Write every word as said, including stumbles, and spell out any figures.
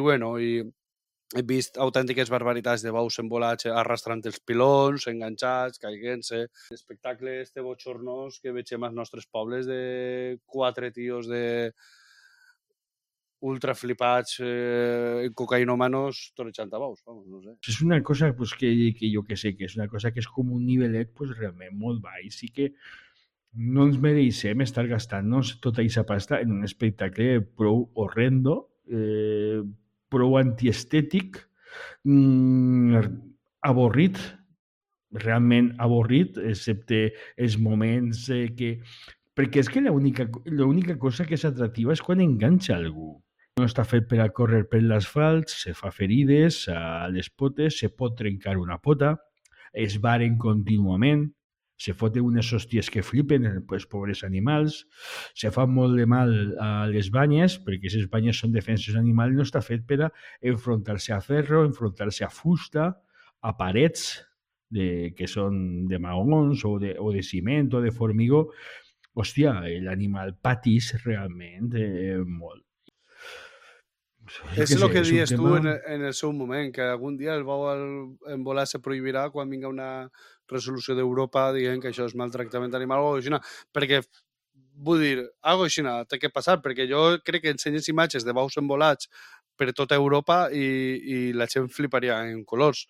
bueno, i he vist autèntiques barbaritats de bous envolats arrastrant els pilons, enganxats, caiguent-se. L'espectacle este bochornós que veiem als nostres pobles de quatre tios de ultra flipats, eh, cocaïnomanos, torejant a bous, vamos, no sé. És una cosa pues, que, que jo que sé, que és una cosa que és com un nivellet pues, realment molt baix i que no ens mereixem estar gastant-nos tota aquesta pasta en un espectacle prou horrendo, eh, prou antiestètic, mm, avorrit, realment avorrit, excepte els moments eh, que... Perquè és que l'única cosa que és atractiva és quan enganxa algú. No està fet per a córrer per l'asfalt, se fa ferides a les potes, se pot trencar una pota, es varen contínuament, se foten unes hòsties que flipen els pobres animals, se fa molt de mal a les banyes, perquè les banyes són defenses animals, no està fet per a enfrontar-se a ferro, enfrontar-se a fusta, a parets de, que són de maons o de, o de ciment o de formigó. Hòstia, l'animal patís realment eh, molt. És el que dius tema... tu en el, en el seu moment, que algun dia el bou envolat se prohibirà quan vinga una resolució d'Europa dient que això és maltractament animal o així, perquè, vull dir, algo així té que passar, perquè jo crec que ensenyes imatges de bous envolats per tota Europa i, i la gent fliparia en colors.